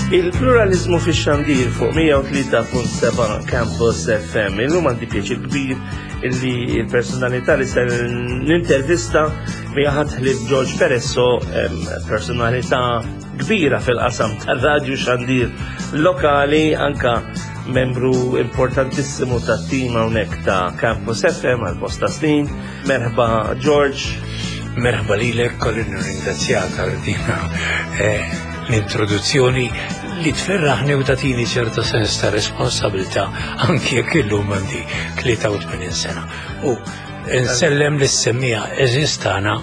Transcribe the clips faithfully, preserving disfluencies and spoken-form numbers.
Il-pluralizmu fi xandir fuq mija u tlieta punt seba' Campus F M. Illum għandi pjaċir kbir illi il-personalità li se nintervista mija ħadd ħlief George Peresso, em, personalità kbira fil-qasam tar-radju xandir lokali, anka membru importantissimu tat-tim hawnhekk ta' Campus F M għal bosta snin. Merħba, George. Merħba lilek, kolli nirringrazzjak għal dina eh, l-introduzzjoni li tferraħni u tatini ċerta sens ta' responsabilità, anki jekk illum għandi tlieta u tmenin sena. U nsellem lis-semmiegħa għeżież tagħna,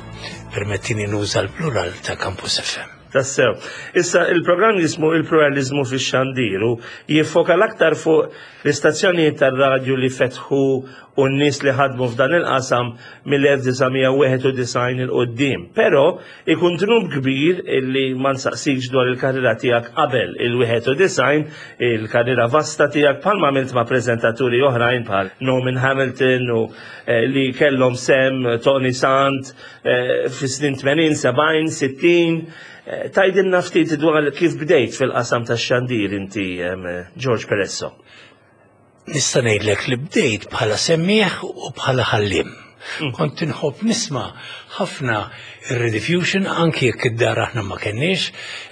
permettini nuża l-plural, ta' Campus F M. Tassew. Issa, il-programm jismu Il-pluralizmu fi xandiru, jiffoka l-aktar fuq l-istazzjonijiet tar-radju li fetħu u n-nies li ħadmu f'dan il-qasam mill-elf disa' mija wieħed u disgħin 'il quddiem. Però ikun dnub kbir illi ma nsaqsikx dwar il-karriera tiegħek qabel il-wieħed u disgħin, il-karriera vasta tiegħek, bħalma għamilt ma' preżentaturi oħrajn bħal Norman Hamilton u eh, li kellhom sem Tony Sant eh, fi snin tmenin, sebgħin, sittin. Eh, Tgħidilna ftit dwar kif bdejt fil-qasam tax-xandir inti, em, George Peresso. Nista' ngħidlek li bdejt bħala semmieħ u bħala ħallim. Kont inħobb nisma' ħafna ir-Rediffusion, anki jekk id-dar aħna ma kenniex,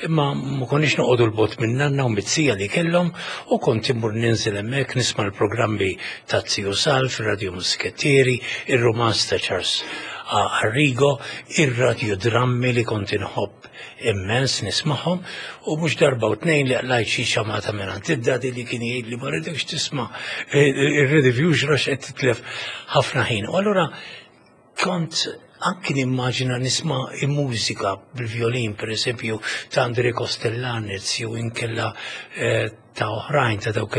imma ma konniex noqogħdu 'l bogħod minn nanna u miz-zija li kellhom, u kont immur ninżel hemmhekk nisma' l-programmi ta' Ziju Salv, ir-Radio Muskettieri, ir-romanz ta' Charles Arrigo, ir-radio drammi li kont inħobb immens nismagħhom, u mhux darba u tnejn li qlajt xi xamata minn id-daddy li kien jgħid li ma rridekx tisma' ir-Rediffusion għax qed titlef ħafna ħin. U allura kont anki nimmaġina nisma' il-mużika bil-violin, per eżempju, ta' Andre Kostelanetz jew inkella eh, ta' oħrajn ta' dawk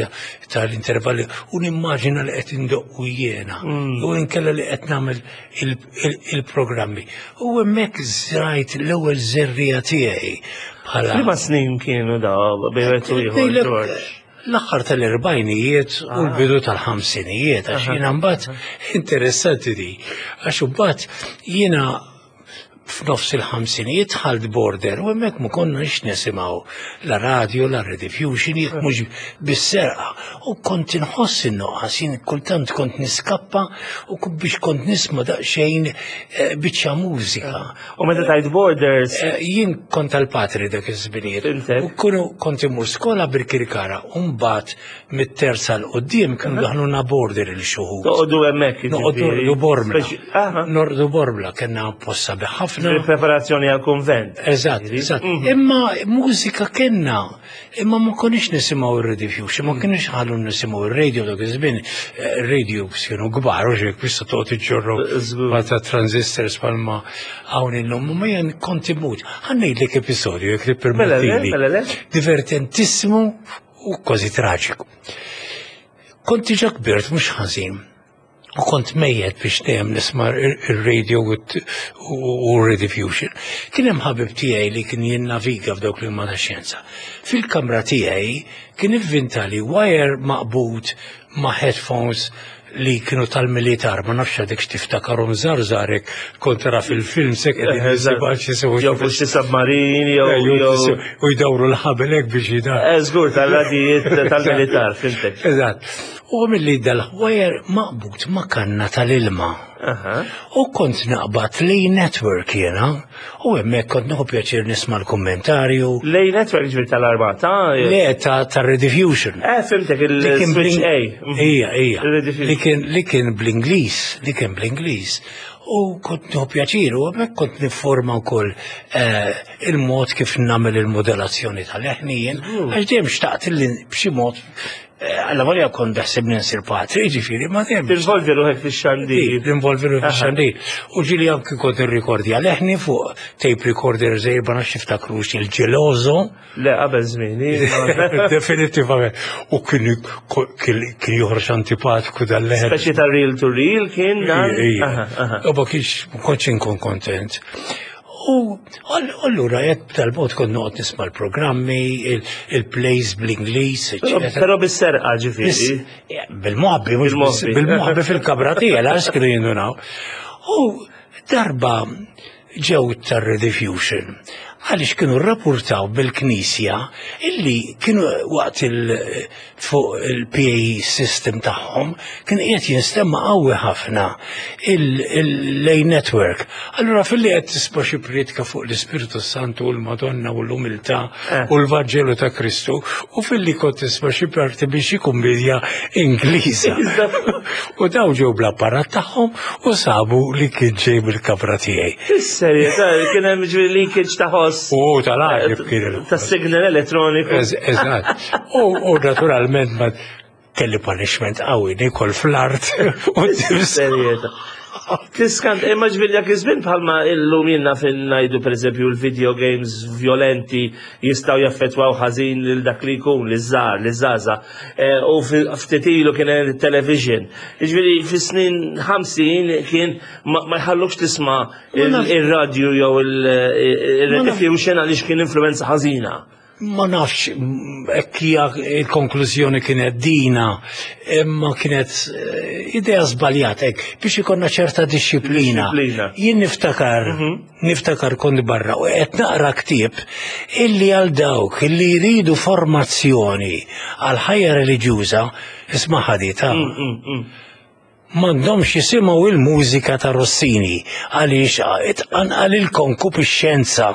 tal-intervalli, u nimmaġina li qed indoqqu jiena u inkella li qed nagħmel il- il- il-programmi. U hemmhekk żrajt l-ewwel żerriegħa tiegħi bħala Liema snin kienu da bejn wieħed u ieħor, Ngħidlek, George? l-aħħar tal-erbgħinijiet u l-bidu tal-ħamsinijiet, għax jiena mbagħad, interessanti di, għax mbagħad jiena f'nofs il-ħamsinijiet dħalt boarder u hemmhekk ma konniex nisimgħu la radio, la Rediffusion, jekk mhux bis-serqa. U kont inħoss in-nuqqas, jien kultant kont niskappa u ku- biex kont nisma' daqsxejn eh, biċċa mużika. U meta tgħid boarders, Eh, Jien kont tal-patri dak iż-żminijiet. Intek? U kunu kont imur skola Birkirkara, u mbagħad mit-terza 'l quddiem kienu daħluna boarder il xi wħud. Toqogħdu hemmhekk. Noqogħdu Jiġifieri. norqdu Bormla. Speċi- Aha. Norqdu Bormla, kellna posta ħafna. Il-preparazzjoni għal-konvent. Eżatt, eżatt. Imma mużika kellna, imma ma konniex nisimgħu ir-Rediffusion, ma konniex ħallu nisimgħu ir-radio dak iż-żmien, eh, radio kienu kbar, u xek biex toqgħod iġġorru Żgur. ma ta' transistors palma hawn illum, ma jien kont imut. Ħa ngħidlek episodju, jekk Mela le, tippermettili. Mela le. Divertentissimu u kważi traġiku. Kont diġà kbirt mhux ħażin. U kont mejjet biex dejjem nisma' ir-radio u t- u u Rediffusion. Kien hemm ħabib tiegħi li kien jinnaviga f'dawk li huma tax-xjenza. Fil-kamra tiegħi kien ivvintali wire maqbud ma' headphones li kienu tal-militar, ma nafx għadek x'tiftakarhom żarżarek, kont tara fil-film sek qegħdin jisibu xi Jew fuq xi submarin, jew jew u jdawru l-ħabel hekk biex jidar. Eh, Żgur, tal-radijiet tal-militar, fhimtek. Eżatt. U mill-li dal-wire maqbut ma' kanna tal-ilma. Aha. U kont naqbad li network jena, u hemmhekk kont nieħu pjaċir nisma' l-kommentarju. Lej network, ġifieri tal-armata? Le, ta' ta' Rediffusion. Eh, fhimtek, Li kien il-switch bl- A. Ija, ija. Il-Rediffusion. Li kien li kien bl-Ingliż, li kien bl-Ingliż. U kont nieħu pjaċir, u hemmhekk kont nifforma wkoll eh, il-mod kif nagħmel il-modulazzjoni tal-leħni jien, għax dejjem xtaqt li b'xi mod, eh, alla volja kont beħsibni nsir patri, ġifieri, ma dejjem Tinvolvi ruħek fix-xandir. Involvi ruħi fix-xandir. U ġieli anki kont irrikordja leħni fuq tape recorder żgħir, ma nafx tiftakrux il-Geloso. Le, qabel żmieni. Definitivament. U kien kien kien joħroġ antipatiku dal-leħen. Speċi ta' reel to reel kien dan? Aha, aha. U ma kienx, ma kontx inkun kontent. U all- allura jekk tal-mod kont noqgħod nisma' l-programmi, il- il-plays bl-Ingliż, Però- eċetera. Però bis-serqa, ġifieri. Bil-moħbi, mhux Bil-moħbi. bil-moħbi fil-kamra tiegħi, għax kienu jindunaw. U darba ġew tar-Rediffusion. Għaliex kienu rrapportaw bil-Knisja illi kienu waqt il fuq il-P A system tagħhom kien qiegħed jinstema' qawwi ħafna il-L A Network. Allura filli qed tisma' xi priedka fuq l-Ispirtu Santu u l-Madonna u l-umiltà Eh. u l-Vanġelu ta' Kristu u filli kont tisma' xi parti biex xi kummedja Ingliża. U daw ġew bl-apparat tagħhom u sabu li kien ġej mill-kamra tiegħi. Fis-serjetà, kien hemm ġifieri leakage ta' ħoss. U tal-għaġeb kien il- Ta' signal elettroniku. Ez- Eżatt. U u naturalment ma kelli punishment qawwi, nikol fl-art u Serjetà. Tiskant, imma ġifieri dak iż-żmien, bħalma illum jiena fin ngħidu, pereżempju, l-video games violenti jistgħu jaffettwaw ħażin lil dak li jkun, liż-żgħar, liż-żgħażagħ. Eh, U ftit ilu kien hemm television. Ġifieri fis-snin ħamsin kien ma ma jħallukx tisma' il- ir-radju jew il-Rediffusion għaliex kien influenza ħażina. Ma nafx hekk hija il-konklużjoni kienet dina, imma kienet eh, idea żbaljata hekk biex ikonna ċerta disċiplina. Disċiplina. Jien niftakar, niftakar kont barra u qed naqra ktieb illi għal dawk illi jridu formazzjoni għal ħajja reliġjuża, isma' ħadita, m'għandhomx jisimgħu il-mużika ta' Rossini għaliex itqanqal il-konkupixxenza.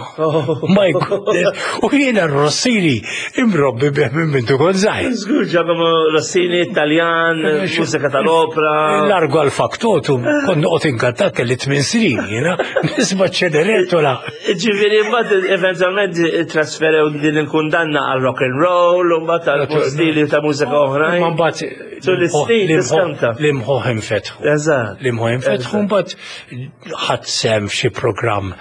My goodness. U jiena Rossini imrobbi bih minn mindu kont żgħir. Żgur, Giacomo Rossini, Italjan, mużika tal-opera. Largo al Factotum, kont noqgħod inkantat, kelli tmien snin, jiena nisma' Ċenerentola. Ġifieri, mbagħad eventwalment trasferew din il-kundanna għal rock and roll, u mbagħad għal stili ta' mużika oħrajn. Ma mbagħad Tul is-snin tiskanta. l-imħuħ infetħu. Eżatt. L-imħuħ infetħu, mbagħad ħadt sehem f'xi programm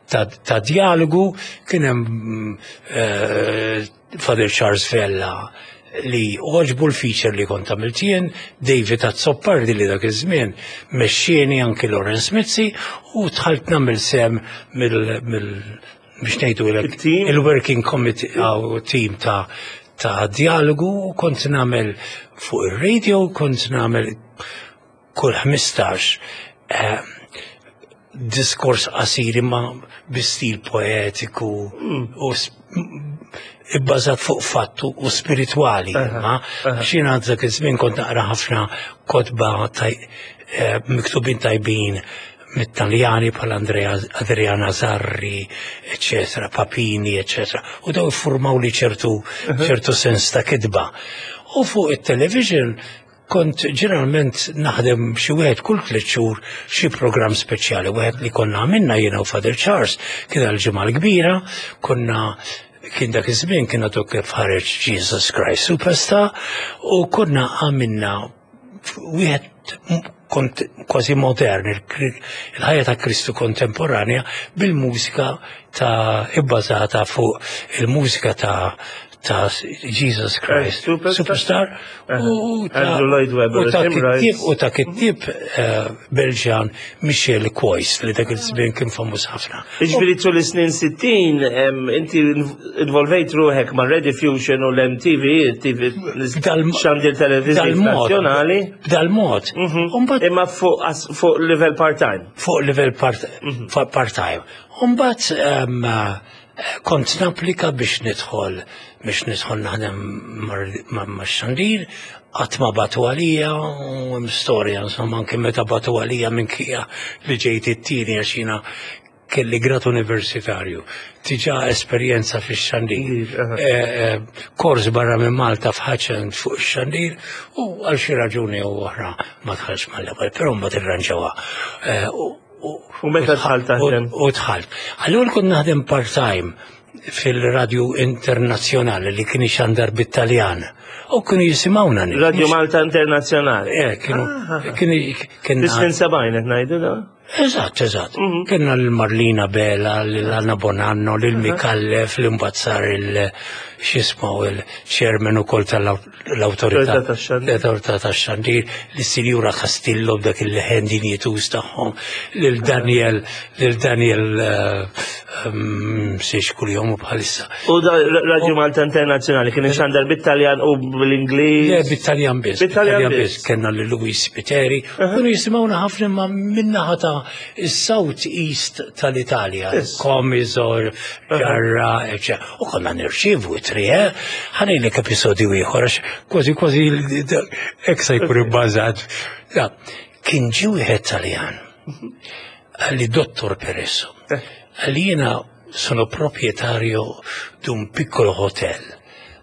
ta' ta' dialogu, kien hemm eh, Father Charles Vella li għoġbu l-feature li kont għamilt jien, David Azzopardi li dak iż-żmien mexxieni, anki Lawrence Mizzi, u dħalt nagħmel sehem mill mill biex ngħidu Il-team? il-working committee aw team ta' ta' dialogu u kont nagħmel fuq ir-radio, kont nagħmel kull ħmistax eh, diskors qasir imma bi stil poetiku u s- ibbażat fuq fattu u spiritwali. Imma xina dak iż-żmien kont naqra ħafna kotba taj- eh, miktubin tajbin mit-Taljani bħal Andrea Adriana Zarri, eccetera, Papini, eccetera. U daw iffurmaw li ċertu ċertu sens ta' kitba. U fuq it-television kont ġeneralment naħdem xi wieħed kull tliet xhur, xi programm speċjali. Wieħed li konna għamilna jiena u Father Charles kien għal-Ġimgħa l-Kbira, konna kien dak iż-żmien kien għadu kif ħareġ Jesus Christ Superstar u konna għamilna wieħed kont kważi modern, il- il-ħajja ta' Kristu kontemporanja bil-mużika ta' ibbażata fuq il-mużika ta' ta' Jesus Christ Superstar. Superstar u ta' Andrew Lloyd Webber, u ta' Tim Rice. kittieb u ta' kittieb eh, Belġan Michel Cois li dak il-żmien kien famuż ħafna. Ġifieri tul is-snin sittin, em, inti involvejt ruħek ma' Rediffusion u l-M T V, T V B'dal- xandir televiżiv B'dal-mod. nazzjonali. B'dal-mod. U mbagħad Imma fuq as- fuq level part-time. Fuq level part, fuq part-time. Umbat um, kont napplika biex nidħol biex nidħol naħdem mar- ma' xandir, qatt ma bagħtu għalija u hemm storja, insomma, anke meta bagħtu għalija minkejja li ġejt it-tieni għax jiena kelli grad universitarju, diġà esperjenza fi xandir, Aha. eh, kors barra minn Malta f'Ħaċen fuq ix-xandir u għal xi raġuni u oħra ma dħalx mal-ewwel, però mbagħad irranġawha. Eh, u- u- U meta dħalt taħdem? U dħalt. Allura kont naħdem part-time fil-radju internazzjonali li kien ixandar bit-Taljan. U kienu jisimgħuna nies. Radio Malta Internazzjonali. Eh, kienu, kienu, kienu, Fis-snin sebgħin qed ngħidu da? Eżatt, eżatt. Kienna l-Marlina Bela, l-Anna Bonanno, l-Mikallef, l-imbazzar il- x'jismu il-chairman ukoll tal-autorità. Autorità tax-Xandir. L-autorità tax-xandir, l-Sinjura Castillo b'dak il-leħen dinjituż tagħhom, lil Daniel, lil Daniel siex kuljom u bħalissa. U da Radio Malta Internazzjonali kien ixandar bit-Taljan u bl-Ingliż? Le, bit-Taljan biss. Bit-Taljan biss. Kenna lil Luis Piteri. Kienu jisimgħuna ħafna ma minnaħa ta' ta' South East tal-Italja, Yes. Comiso, Ġarra, eccetera. U konna nirċievu ittri, eh? Ħa ngħidlek episodju ieħor, għax kważi kważi hekk se jkun ibbażat. Ja, kien ġie wieħed Taljan, qalli dottor Peresso, qalli jiena sono proprietario di un piccolo hotel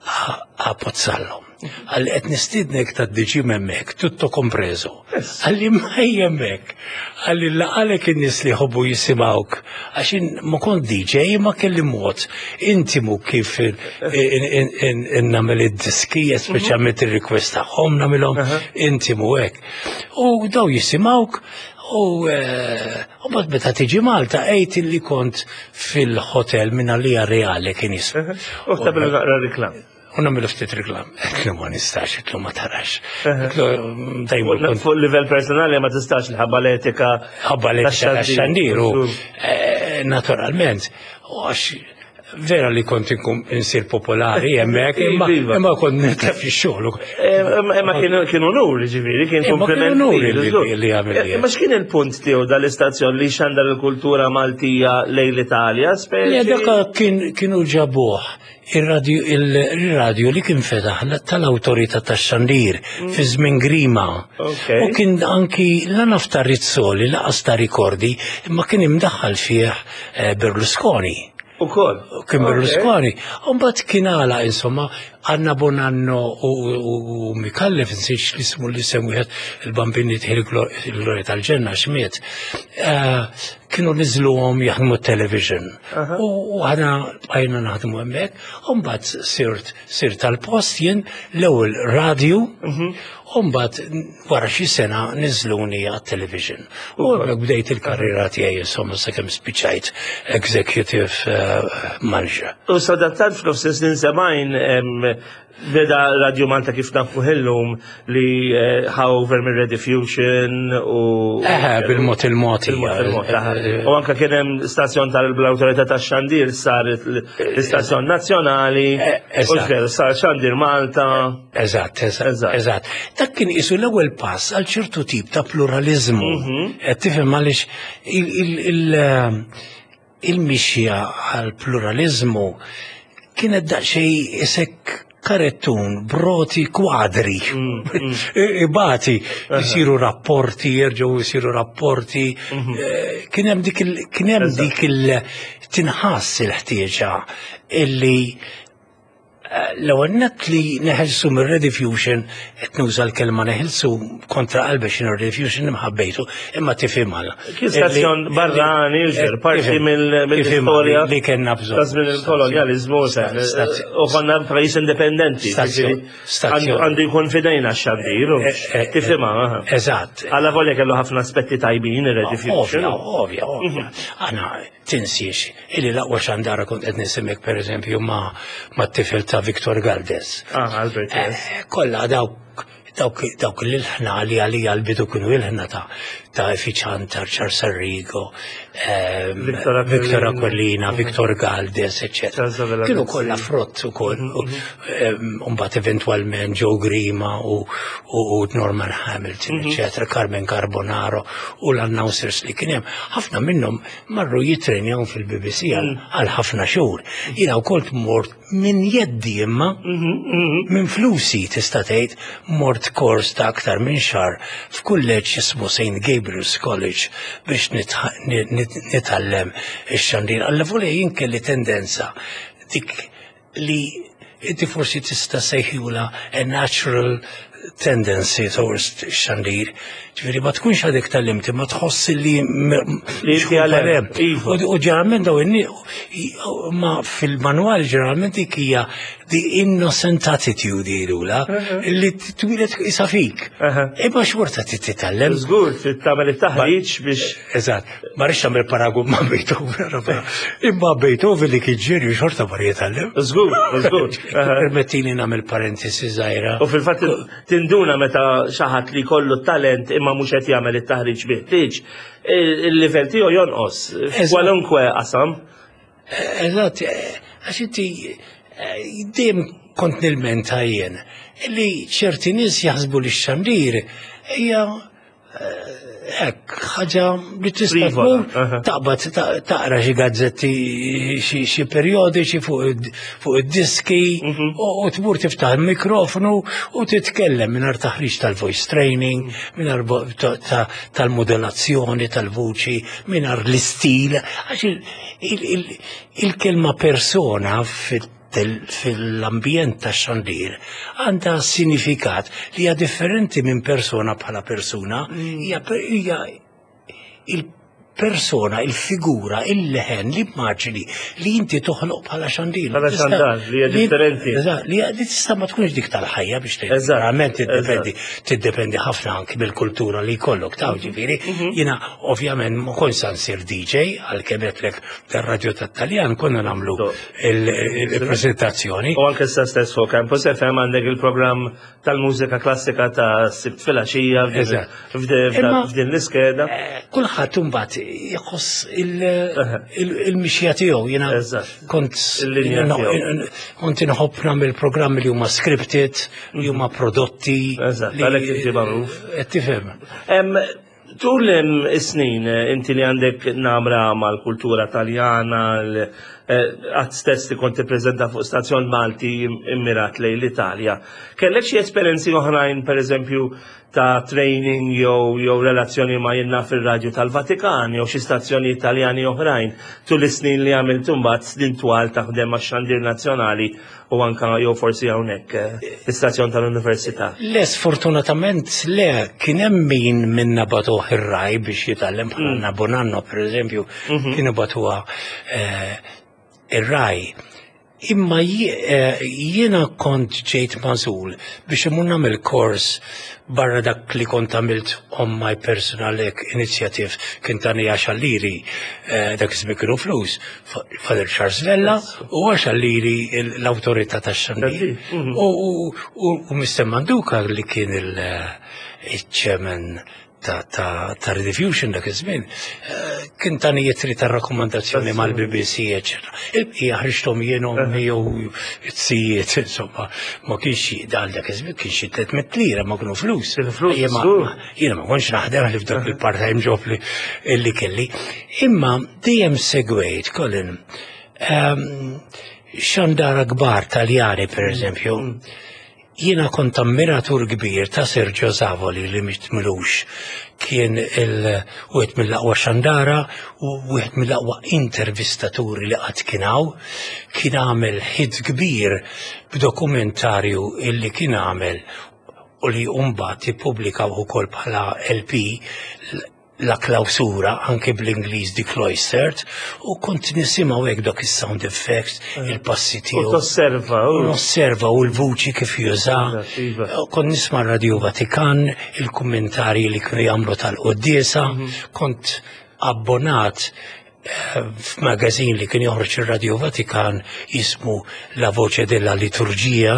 a, a Pozzallo. Qalli qed nistiednek ta' diġi hemmhekk, tutto compreso. Qalli ma hemmhekk. Qalli laqgħalek in-nies li jħobbu jisimgħuk. Għax jien ma kont D J ma kelli mod intimu kif nagħmel id-diski, speċjalment ir-request tagħhom nagħmilhom intimu hekk. U daw jisimgħuk u eh, u mbagħad meta tiġi Malta għid li kont fil-hotel minna li reale kien jismu. U tagħmlu naqra reklam. U nagħmlu ftit reklam. Għedtlu ma nistax, għedtlu ma tarax. Għedtlu dajmu kont Fuq livell personali ma tistax l-ħabba l-etika. Ħabba li tax-xandir. xandir u eh, naturalment, u għax vera li kont inkun insir popolari hemmhekk, imma Iva. imma kont nitlef ix-xogħol. Eh, Imma kien kien onur, ġifieri, kien Imma kien kompliment. onur kbir, li- żgur. li għamel li. Imma x'kien il-punt tiegħu dal-istazzjon li xandar il-kultura Maltija lejn l-Italja, Le, speċi? dak kien kienu ġabuh il-radio il-radio li kien fetaħ tal-awtorità tax-xandir fi żmien Grima. Ok. U kien anki la naf ta' Rizzoli, laqas ta' rikordi, imma kien imdaħħal fih eh, Berlusconi. Ukoll. Kien Berlusconi. Umbagħad kien għala, insomma, Anna Bonanno u, u, u Micallef, nsiex li ismu li sem wieħed il-bambini il-glorja tal-ġenna xmiet. Eh, Kienu niżluhom jaħdmu television. U u aħna bqajna naħdmu hemmhekk, u mbagħad sirt sirt tal-post jien l-ewwel radio, u mbagħad wara xi sena niżluni għat-television. U hemmhekk bdejt il-karriera tiegħi insomma sakemm spiċċajt executive eh, manager. U sadattant f'nofs snin sebgħin em, beda Radio Malta kif nafu illum li eh, ħa over minn Rediffusion u. Eh, bil-mod il-mod. Bil-mod il-mod, eh, eh, U anka kien hemm stazzjon tal-Awtorità tax-Xandir sar l-istazzjon nazzjonali, Eh, u eżatt. x'veru, sar Xandir Malta. Eżatt, eżatt, Eżatt. eżatt. Dak kien isu l-ewwel pass għal ċertu tip ta' pluralizmu. Qed tifhem għaliex il- il- il- eh, il-mixja għal pluralizmu kienet daqsxejn isek karettun, broti kwadri, ibati, jisiru rapporti, jerġgħu jisiru rapporti, eh, kien hemm dik il- kien hemm dik il tinħass il-ħtieġa illi l-ewwel nett li neħelsu mir Rediffusion, qed nuża l-kelma neħelsu kontra qalbi x'inhu Rediffusion imħabbejtu, imma tifhimha. Kien stazzjon barrani, ġer, parti mill- mill-istorja li kellna bżonn. Ta' żmien il-kolonjalizmu, u konna pajjiż indipendenti. Stazzjon- ġifieri, stazzjon. għandu għandu jkun fidejna x-xandir, u Eh, eh, tifhimha. aha. Eżatt. Alla volja kellu ħafna aspetti tajbin ir-Rediffusion. Ovvja, ovvja, ovvja. Aħna tinsiex illi l-aqwa xandara kont qed nisimgħek pereżempju ma' ma' tifel ta' Victor Galdes. Ah, Albert, yes. Eh, Kollha dawk dawk dawk l-ilħna li għalija l-bidu kienu ilħna ta' ta' Effiċantar, Charles Arrigo, ehm, Victor Aquilina. Victor Aquilina, Victor Galdes, eccetera. Charles Avella Kienu Mizzi. kollha frott ukoll. Mbagħad eventwalment Joe Grima u, u, u Norman Hamilton, eccetera, Carmen Carbonaro u l-announcers li kien hemm. Ħafna minnhom marru jitrenjaw fil-B B C għal għal ħafna xhur. Jiena wkoll mort minn jeddi imma minn flusi tista' tgħid mort kors ta' aktar minn xahar f'kulleġġ jismu Saint Gabriel's College biex nitħ- nit- nit- nitgħallem ix-xandir. Alla volja jien kelli tendenza dik li inti forsi tista' sejħula a natural tendency towards xandir. Ġifieri ma tkunx għadek tgħallimt, ma tħoss li Li inti għalem, iva. U u ġeneralment daw in ma fil-manwal ġeneralment dik hija the innocent attitude jgħidula li twilet isa fik. Aha. Imma xorta titgħallem. Żgur, trid tagħmel it-taħriġ biex Eżatt, ma rridx nagħmel paragun ma' Beethoven, imma Beethoven li kien ġenju xorta mar jitgħallem. Żgur, żgur. Aha. Permettili nagħmel parentesi żgħira. U fil-fatt tinduna meta xi ħadd li kollu talent imma mhux qed jagħmel it-taħriġ biħtieġ, il-livell tiegħu jonqos f'kwalunkwe qasam. Eżatt, eh, għax inti eh, dejjem kont nilmenta jien li ċerti nies jaħsbu li x-xandir hija Hekk, ħaġa li tista' Frivola, tmur aha. taqbad ta- taqra xi gazzetti, xi xi periodiċi fuq id- fuq id-diski Mhm. u u tmur tiftaħ il-mikrofonu u titkellem mingħajr taħriġ tal-voice training, mingħajr bo- ta- ta- tal-modulazzjoni tal-vuċi, mingħajr l-istil, għax il- il- il- il-kelma persona fit fil-ambjent ta' xandir għandha sinifikat li hija differenti minn persona bħala persuna, hija hija il-persona, il-figura, il-leħen, l-immaġini li inti toħloq bħala xandir. Bħala Tista' xandar, li hija differenti. Eżatt, li li tista' ma tkunx dik tal-ħajja biex tgħid. Eżatt, Verament tiddependi tiddependi ħafna anki mill-kultura li jkollok ta' ġifieri. Mhm. Jiena ovvjament ma kontx sa nsir D J, għalkemm għedtlek tar-radju tat-Taljan konna nagħmlu Do. il-prezentazzjoni. U anke sa stess fuq Campus F M għandek il-programm tal-mużika klassika ta' Sibt filgħaxija f'din- Eżatt. f'din Imma- f'din l-iskeda. Eh, Kulħadd imbagħad jħoss il- il- il-mixja tiegħu. Jiena Eżatt. kont Il-linja tiegħu. kont inħobb nagħmel programmi li huma scripted, li huma prodotti. Eżatt, li- għalhekk inti magħruf. Qed tifhem. Em, Tul em, is-snin, eh, inti li għandek namra mal-kultura taljana, l- eh, għad stess li kont tippreżenta fuq stazzjon Malti im- immirat lejn l-Italja. Kellek xi esperjenzi oħrajn, per eżempju, ta' training jew jew relazzjoni ma' jenna fil-radju tal-Vatikan jew xi stazzjoni Italjani oħrajn tul is-snin li għamilt imbagħad snin twal taħdem max-xandir nazzjonali u anka jew forsi hawnhekk eh, l-istazzjon tal-Università? Le, sfortunatament le, kien hemm min minna bagħtuh ir-Rai biex jitgħallem, bħala mm. Bonanno, per eżempju, kienu bagħtuha eh, ir-Rai. Imma ji- eh, jiena kont ġejt magħżul biex imur nagħmel kors barra dak li kont għamilt on my personal initiative, kien tani għaxar liri, eh, dak iż kienu flus, Fa- Father Charles Vella u għaxar liri l-autorità tax-xandir. Mhm. U, u, u, u Mister Manduka li kien il- il-chairman ta', ta, ta' Rediffusion dak iż-żmien, eh, kien tani ittri ta' rakkomandazzjoni mal-B B C, eċetera. Il-bqija ħriġthom jien, ommi jew it-sijiet, insomma, ma kienx xi dal dak iż-żmien kien xi tliet mitt lira, ma kienu flus. Kienu flus, Jien ma- żgur. Jiena ma kontx naħdem li f'dak il-part-time job li li kelli. Imma dejjem segwejt, Colin, ehm, xandara kbar Taljani, per eżempju. Jiena kont ammiratur kbir ta' Sergio Zavoli li miet m'ilux, kien il wieħed mill-aqwa xandara u wieħed mill-aqwa intervistaturi li qatt kien hawn. Kien għamel hit kbir b'dokumentarju illi kien għamel u li mbagħad ippubblikaw ukoll bħala L P, La Clausura, anke bl-Ingliż The Cloistered, u kont nisimgħu hekk dak is-sound effects, il-passi U tiegħu. tosserva, U u nosserva u l-vuċi kif juża. Eżatt, iva. Kont nisma' Radio Vatikan, il-kummentarji li kienu jagħmlu tal-quddiesa, kont abbonat eh, f'magazin li kien joħroġ ir-Radio Vatikan jismu La Voce della Liturgia,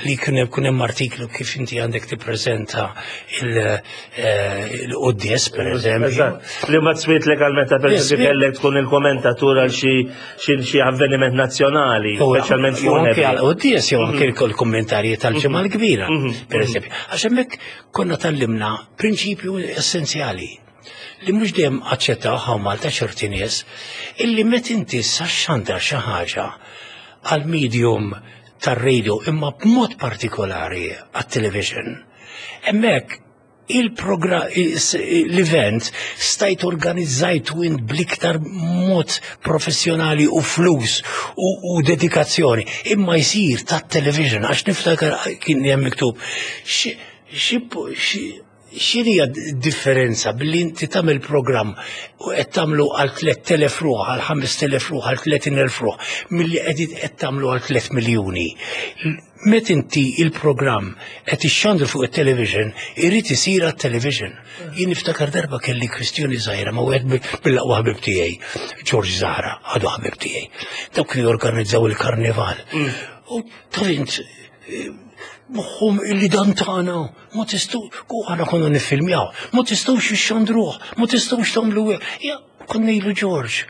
li kien hemm kien hemm artiklu kif inti għandek tippreżenta il- eh, il-quddies, per eżempju. Eżatt. Li ma tswiet legalment per Yes, eżempju kellek tkun il-kommentatur għal xi xi xi avveniment nazzjonali, speċjalment Jew anke funebri. għal quddies jew anke l-kommentarji tal-Ġimgħa l-Kbira, per eżempju. Għax hemmhekk konna tgħallimna prinċipju essenzjali li mhux dejjem aċċettaw hawn Malta ċerti nies, illi met inti sa xandar xi ħaġa għal medium tar-radio, imma b'mod partikolari għat-television. Hemmhekk il-program, l-event stajt organizzajtu int bl-iktar mod professjonali u flus u, u dedikazzjoni, imma jisir ta' television, għax niftakar kien hemm miktub xi- xi- xi- x'inhija differenza billi inti tagħmel programm u qed tagħmlu għal tliet elef ruħ, għal ħamest elef ruħ, għal tletin elf ruħ, milli qed qed tagħmlu għal tliet miljuni? Met inti il-programm qed ixxandru fuq it-television, irid isir għat-television. Jien niftakar darba kelli kwistjoni żgħira ma' wieħed mill-aqwa ħbib tiegħi, George Zahra, għadu ħabib tiegħi. Dawk kienu jorganizzaw il-karnival. U taf int moħħhom illi dan tagħna, ma tistgħu, u aħna konna niffilmjaw, ma tistgħux ixxandruh, ma tistgħux tagħmlu hekk. Ja, konna ngħidlu, "George,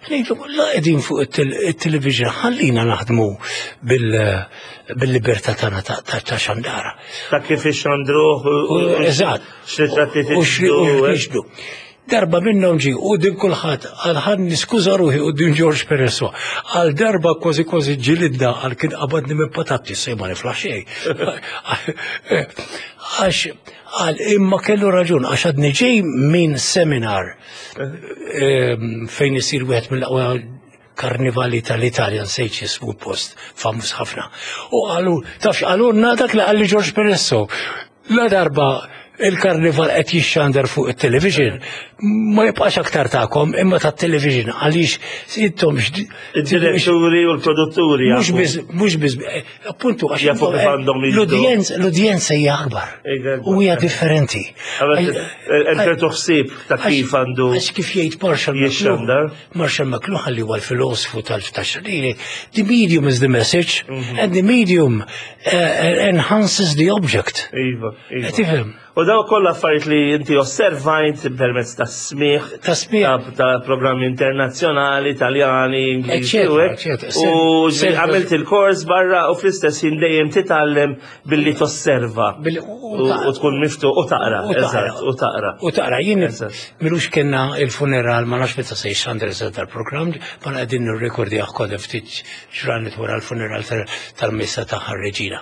Ngħidlu, la qegħdin fuq it-television, ħallina naħdmu bil-libertà tagħna ta' xandara. Ta' kif ixxandruh. Eżatt. X'ritratti. U x'niġbdu. Darba minnhom ġi u din kulħadd għal ħan niskuża ruħi u din George Peresso. Għal darba kważi kważi ġilidna, għal kien qabadni minn patati, sej ma niflaħ xejn. Għax għal imma kellu raġun, għax għadni ġej minn seminar fejn isir wieħed mill-aqwa karnivali tal-Italja, nsejt jismu, post famuż ħafna. U qalu, tafx qalulna dak li qalli George Peresso. La darba il-karnival qed jixxandar fuq it-television, ma jibqax aktar tagħkom imma tat-television, għaliex intom Id-diretturi u l-produtturi. Mhux biss, mhux biss, appuntu, għax Jafu kif għandhom jiġdu. l-udjenza l-udjenza hija akbar u hija differenti. Hemm ħsieb ta' kif għandu Għax kif jgħid Marshall jixxandar. McLuhan, Marshall McLuhan, li huwa l-filosofu tal-taxxadiri, "The medium is the message and the medium uh, enhances the object." Iva, iva. Tifhem? U daw kollha affarijiet li inti osservajt permezz ta' smigħ, Ta' smigħ. ta' ta' programmi internazzjonali, Italjani, Ingliżi, u Eccetera, hekk. Eccetera. U Se- għamilt il-kors barra u fl-istess ħin dejjem titgħallem billi tosserva. Billi- U u tkun miftu u taqra, U taqra. Eżatt, u taqra. U taqra, jien Eżatt. m'ilux kellna il-funeral, ma nafx meta se jxandar eżatt dal-programm, ma qegħdin nirrekordja kod ftit ġranet wara l-funeral tal- tal-missa ta' Reġina.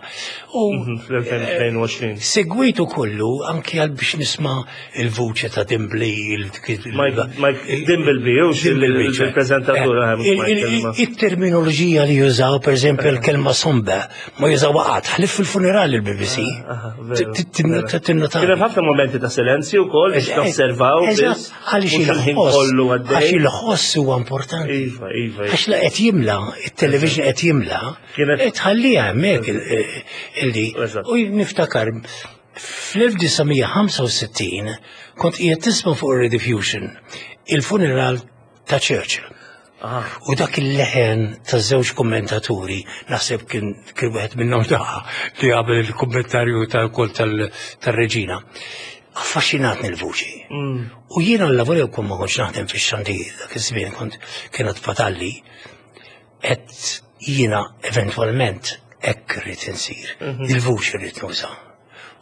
U Mhm, fl-elfejn u tnejn u għoxrin. Segwitu kollu anki għal biex nisma' il-vuċi ta' Dimbley. il- Mike Mike Dimbleby, u Dimbleby, ċe. il-prezentatur. Eh, il- il- Il-terminoloġija li jużaw, per eżempju, il-kelma sombre, ma jużaw qatt, ħlief fil-funeral il-B B C. Tinnota. Kien hemm ħafna momenti ta' silenzju wkoll biex nosservaw Eżatt, biss, għaliex mhux il-ħin il-ħoss, kollu għax għaddej. il-ħoss huwa importanti. Iva, iva, iva. Għax la qed jimla, il-television qed jimla, Kienet- tħallija hemmhekk il- illi. Eżatt. U niftakar fl-elf disa' mija ħamsa u sittin kont qiegħed tisma' fuq ir-Rediffusion il-funeral ta' Churchill. Ah. U dak il-leħen ta' żewġ kommentaturi, naħseb kien kien wieħed minnhom daħ li għamel il-kommentarju tal-kol tal-reġina. Affaxxinatni l-vuċi. Mm. U jiena l-lavori kun ma kontx naħdem fix-xandir dak iż-żmien, kont kienet fatalli, et jiena eventwalment hekk irrid insir. Il-vuċi rrid nuża.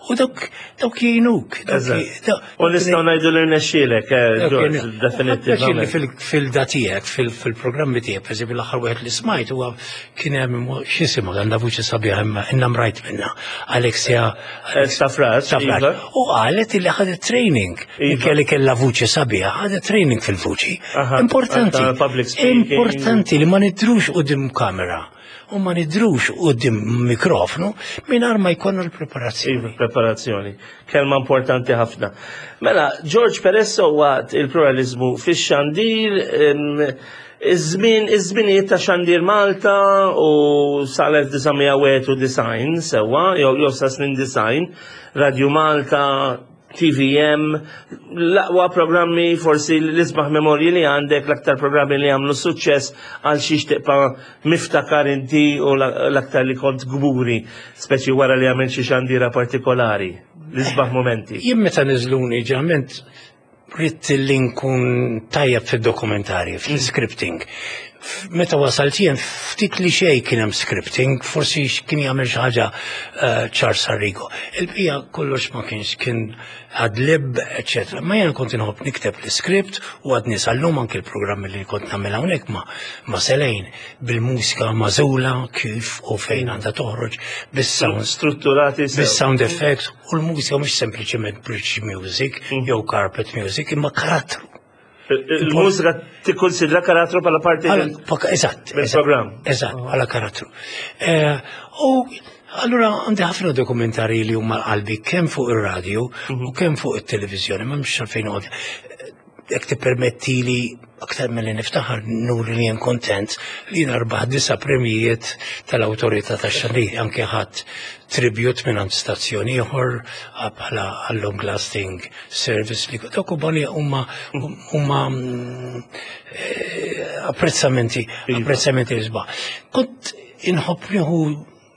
U dawk dawk jgħinuk. Dawk Eżatt. dawk- U nistgħu ngħidu li rnexxielek, eh, George, Li definitivament. fil-da tiegħek, fil-programmi tiegħek, per eżempju l-aħħar wieħed li smajt huwa kien hemm, x'jisimha, għandha vuċi sabiħa imma inna mrajt minnha. Alexia Eh, Stafrace, Stafrace. iva. U qalet li ħadet training. Iva. Minkejja li kellha vuċi sabiħa, ħadet training fil-vuċi. Aha, Importanti. ta' public speaking. Importanti li ma nidrux quddiem kamera u ma nidrux quddiem mikrofonu mingħajr ma jkollna l-preparazzjoni. Iva, preparazzjoni. Kelma importanti ħafna. Mela, George Peresso waqt il-pluralizmu fix-xandir, em, iż-żmien, iż-żminijiet ta' Xandir Malta u sal-elf disa' mija u design sewwa, jew jew sa snin design, Radio Malta, T V M, l-aqwa programmi, forsi l-isbaħ memorji li għandek, l-aktar programmi li għamlu suċċess, għal xiex tibqa' miftakar inti u l-aktar li kont gburi, speċi wara li għamil xi xandira partikolari, l-isbaħ momenti. Jien meta niżluni ġeneralment ridt li nkun tajjeb fid-dokumentarji, fil-scripting. F- Meta wasalt jien ftit li xejn kien hemm scripting, forsi kien jagħmel xi ħaġa eh, Charles Arrigo. Il-bqija kollox ma kienx, kien ad lib, eċetera. Ma jien kont inħobb nikteb l-script u għadni sal-lum anke l-programmi li kont nagħmel hawnhekk ma ma Selejn bil-mużika magħżula kif u fejn għandha toħroġ, bis-sound Strutturati sew. bis-sound effects, u l-mużika mhux sempliċement bridge music jew carpet music imma karattru. Il-mużika tikkonsidra karattru bħala parti Bħala- mill- paka- Eżatt. mill-programm. Eżatt, bħala karattru. Eh, U allura għandi ħafna dokumentari li huma qalbi kemm fuq ir-radio u kemm fuq it-televiżjoni, ma mhux għalfejn noqgħod. Jekk tippermetti li aktar milli niftaħar nuri li jien kontent li jien rbaħ disa' premijiet tal-Awtorità tax-Xandir, anke ħadd tribute minn għand stazzjoni ieħor bħala għal long lasting service li dawk huma huma huma mm, eh, apprezzamenti apprezzamenti isbaħ. Kont inħobb nieħu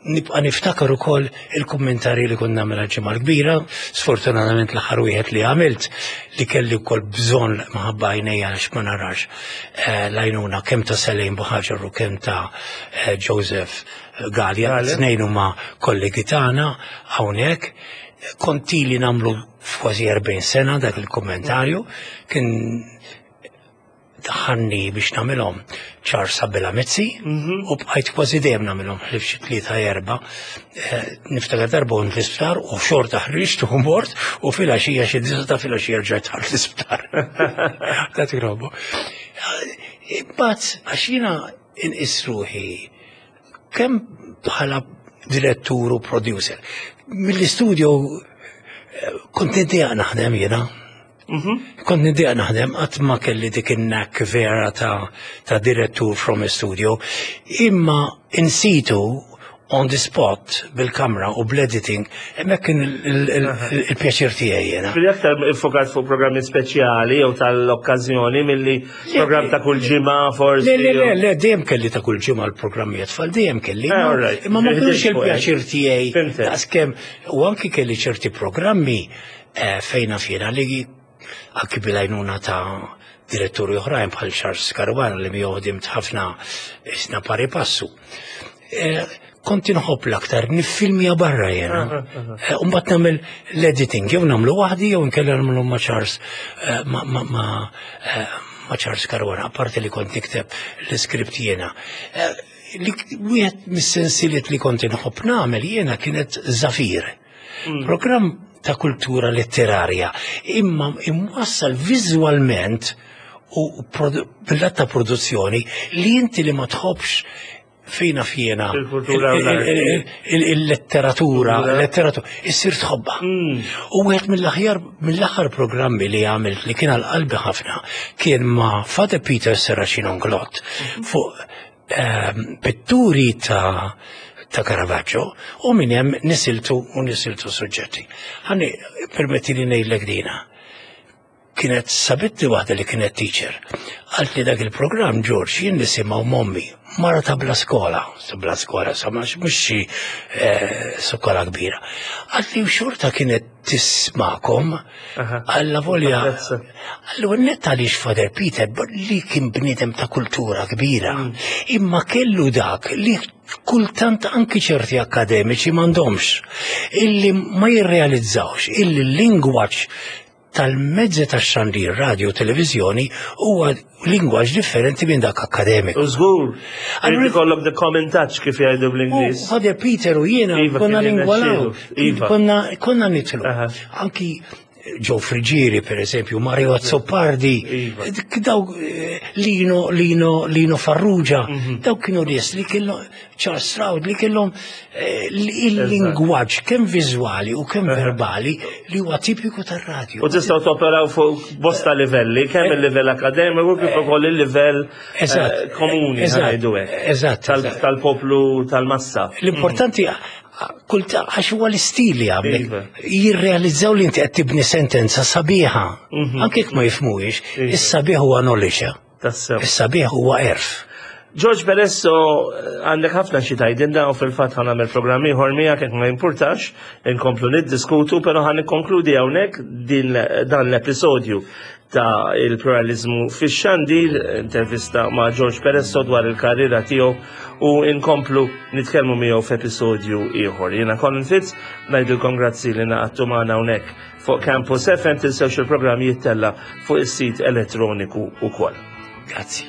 Nibqa' niftakar ukoll il-kummentarji li kont nagħmel għal-Ġimgħa l-Kbira, sfortunatament l-aħħar wieħed li għamilt li kelli wkoll bżonn minħabba għajnejja għax ma narax eh, l-għajnuna kemm ta' Selejn Buħaġar u kemm ta' eh, Joseph Gallia, Gallia. tnejn huma kollegi tagħna hawnhekk. Kont ili nagħmlu f'kważi erbgħin sena dak il-kommentarju, kien daħħalni biex nagħmilhom Charles Abela Mizzi u bqajt kważi dejjem nagħmilhom ħlief xi tlieta erba'. Eh, Niftakar darba kont l-isptar u xorta ħriġt u mort u filgħaxija xi disgħa ta' filgħaxija rġajt dħalt l-isptar. Ta' tigrobu. Imbagħad għax jiena inqis ruħi kemm bħala direttur u producer. Mill-istudio eh, kont niddejjaq naħdem jiena. Kont niddejjaq naħdem, qatt ma kelli dik in-knack vera ta', ta' direttur from a studio, imma in situ on the spot bil-kamra u bl-editing, hemmhekk kien il-pjaċir tiegħi jiena. Fil aktar iffokat fuq programmi speċjali jew tal-okkażjoni milli programm ta' kull ġimgħa forsi. Le, le, le, le, dejjem kelli ta' kull ġimgħa l-programmi tfal, dejjem kelli. Eh, all right. Imma ma kienx il-pjaċir tiegħi Fhimtek. daqskemm u anki kelli ċerti programmi eh, fejna fjena li anki bil-għajnuna ta' diretturi oħrajn bħal Charles Caruana li miegħu ħdimt ħafna isna pari passu. Eh, Kont inħobb l-aktar niffilmja barra jena. Eh, Umbagħad nagħmel l-editing, jew nagħmlu waħdi jew nkella nagħmlu ma' Charles eh, ma' ma' ma' eh, ma' Charles Caruana, apparti li kont nikteb l-iskript jiena. Eh, Li wieħed mis-sensiliet li kont inħobb nagħmel jiena kienet Zafir. Programm ta' kultura letterarja, imma imwassal viżwalment u produ- bil-lat ta' produzzjoni li inti li ma tħobbx fejna fjena Il-kultura u l-arti. il-letteratura, il-letteratura, issir tħobbha. U wieħed mill-aħjar mill-aħħar programmi li għamilt li kien għal qalbi ħafna kien ma' Father Peter Serracino Inglott fuq ehm, pitturi ta' ta' Caravaggio u minn hemm nisiltu u nisiltu suġġetti. Ħalli permetti li ngħidlek dina. Kienet sabitni waħda li kienet teacher. Qaltli li dak il-programm, George, jien nisimgħu m'ommi, mara ta' bla skola, ta' bla skola, sa ma mhux xi eh, skola kbira. Qaltli u xorta kienet tismagħkom Aha. alla volja. Apprezza. Allura net għaliex Father Peter li kien bniedem ta' kultura kbira, imma kellu dak li kultant anki ċerti akademiċi m'għandhomx, illi ma jirrealizzawx illi l-lingwaġġ tal-mezzi tax-xandir, radio, televizjoni huwa lingwaġġ differenti minn dak akademiku. U żgur. Allura- Irid ikollok the common touch kif jgħidu bl-Ingliż. U Father Peter u jiena Iva, konna kien lingwalaw, jirnexxielu. Iva. konna, konna nidħlu. Aha. Anki Joe Friggieri, per eżempju, Mario Azzopardi, Iva. daw eh, Lino, Lino, Lino Farrugia, Mhm. daw kienu nies li kellhom Charles Stroud li kellhom eh, il-lingwaġġ kemm viżwali u kemm verbali li huwa tipiku tar-radju. U tistgħu toperaw fuq bosta livelli, kemm il-livell akademiku kif ukoll il-livell eh, Eżatt. komuni Eżatt. ħa ngħidu hekk. Eżatt, Tal- eżatt. Tal-poplu tal-massa. L-importanti kulta għax huwa l-istil li għamlek. Iva. Jirrealizzaw li inti qed tibni sentenza sabiħa. Anke jekk ma jifhmuhiex, Iva. is-sabiħ huwa knowledge. Tassew. Is-sabiħ huwa għerf. George Peresso, għandek ħafna xi tgħidilna u fil-fatt ħa nagħmel programm ieħor miegħek jekk ma jimpurtax, inkomplu niddiskutu, però ħa nikkonkludi hawnhekk din dan l-episodju ta' il-pluralizmu fix-xandir, intervista ma' George Peresso dwar il-karriera tiegħu u inkomplu nitkellmu miegħu f'episodju ieħor. Jiena Colin Fitz, ngħidilkom grazzi li ngħaqadtu magħna hawnhekk fuq Campus F M, tinsewx il-programm jittella fuq is-sit elettroniku ukoll. Grazzi.